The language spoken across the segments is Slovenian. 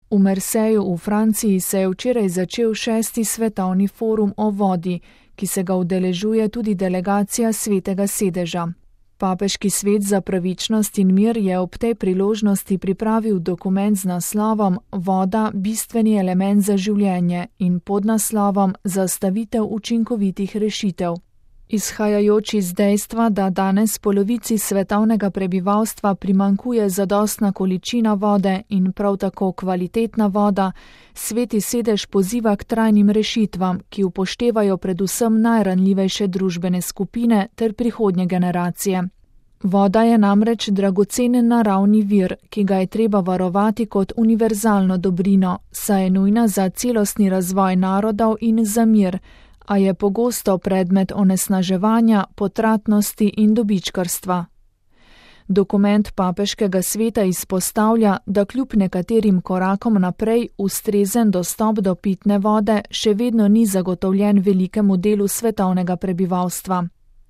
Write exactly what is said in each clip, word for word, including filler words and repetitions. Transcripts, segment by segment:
V Marseju v Franciji se je včeraj začel šesti svetovni forum o vodi, ki se ga udeležuje tudi delegacija Svetega sedeža. Papeški svet za pravičnost in mir je ob tej priložnosti pripravil dokument z naslovom Voda – bistveni element za življenje in pod naslovom Zastavitev učinkovitih rešitev. Izhajajoč iz dejstva, da danes polovici svetovnega prebivalstva primanjkuje zadostna količina vode in prav tako kvalitetna voda, Sveti sedež poziva k trajnim rešitvam, ki upoštevajo predvsem najranljivejše družbene skupine ter prihodnje generacije. Voda je namreč dragocen naravni vir, ki ga je treba varovati kot univerzalno dobrino, saj je nujna za celostni razvoj narodov in za mir, a je pogosto predmet onesnaževanja, potratnosti in dobičkarstva. Dokument papeškega sveta izpostavlja, da kljub nekaterim korakom naprej ustrezen dostop do pitne vode še vedno ni zagotovljen velikemu delu svetovnega prebivalstva.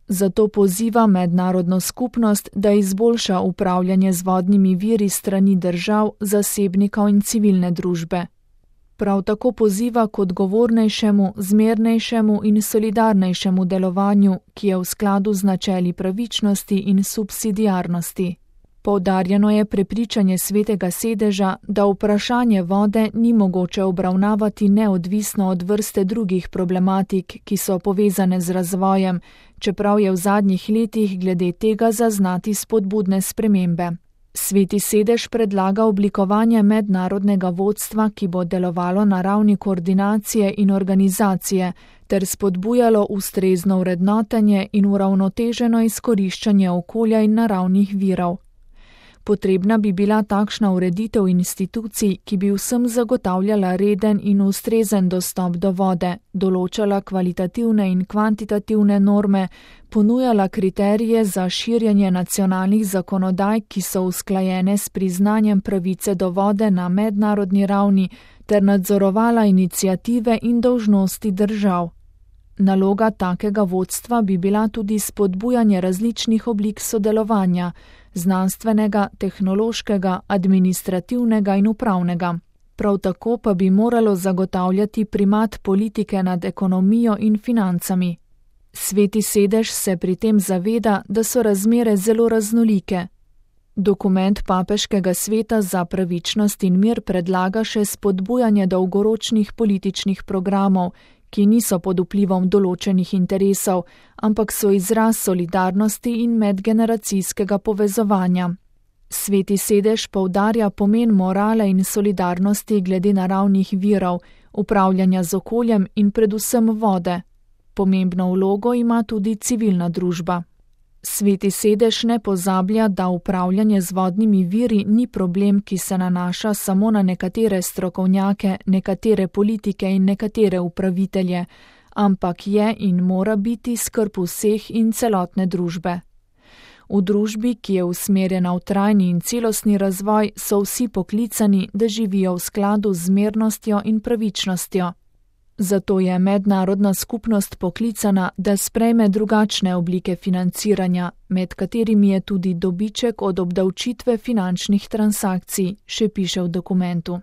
Zato poziva mednarodno skupnost, da izboljša upravljanje z vodnimi viri strani držav, zasebnikov in civilne družbe. Prav tako poziva k odgovornejšemu, zmernejšemu in solidarnejšemu delovanju, ki je v skladu z načeli pravičnosti in subsidiarnosti. Poudarjeno je prepričanje Svetega sedeža, da vprašanje vode ni mogoče obravnavati neodvisno od vrste drugih problematik, ki so povezane z razvojem, čeprav je v zadnjih letih glede tega zaznati spodbudne spremembe. Sveti sedež predlaga oblikovanje mednarodnega vodstva, ki bo delovalo na ravni koordinacije in organizacije, ter spodbujalo ustrezno vrednotenje in uravnoteženo izkoriščanje okolja in naravnih virov. Potrebna bi bila takšna ureditev institucij, ki bi vsem zagotavljala reden in ustrezen dostop do vode, določala kvalitativne in kvantitativne norme, ponujala kriterije za širjenje nacionalnih zakonodaj, ki so usklajene s priznanjem pravice do vode na mednarodni ravni, ter nadzorovala iniciative in dolžnosti držav. Naloga takega vodstva bi bila tudi spodbujanje različnih oblik sodelovanja, znanstvenega, tehnološkega, administrativnega in upravnega. Prav tako pa bi moralo zagotavljati primat politike nad ekonomijo in financami. Sveti sedež se pri tem zaveda, da so razmere zelo raznolike. Dokument papeškega sveta za pravičnost in mir predlaga še spodbujanje dolgoročnih političnih programov, ki niso pod vplivom določenih interesov, ampak so izraz solidarnosti in medgeneracijskega povezovanja. Sveti sedež poudarja pomen morale in solidarnosti glede naravnih virov, upravljanja z okoljem in predvsem vode. Pomembno vlogo ima tudi civilna družba. Sveti sedež ne pozablja, da upravljanje z vodnimi viri ni problem, ki se nanaša samo na nekatere strokovnjake, nekatere politike in nekatere upravitelje, ampak je in mora biti skrb vseh in celotne družbe. V družbi, ki je usmerjena v trajni in celostni razvoj, so vsi poklicani, da živijo v skladu z zmernostjo in pravičnostjo. Zato je mednarodna skupnost poklicana, da sprejme drugačne oblike financiranja, med katerimi je tudi dobiček od obdavčitve finančnih transakcij, še piše v dokumentu.